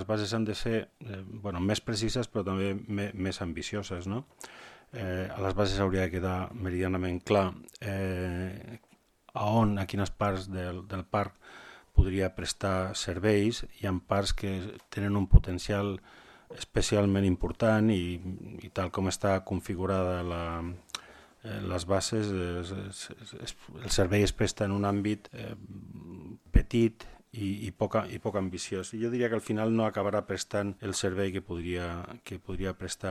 Les bases han de ser més precises però també més ambicioses, no? A les bases hauria de quedar meridianament clar a quines parts del parc podria prestar serveis. Hi ha parts que tenen un potencial especialment important i tal com està configurada les bases, el servei es presta en un àmbit petit i poc ambiciós. Jo diria que al final no acabarà prestant el servei que podria prestar.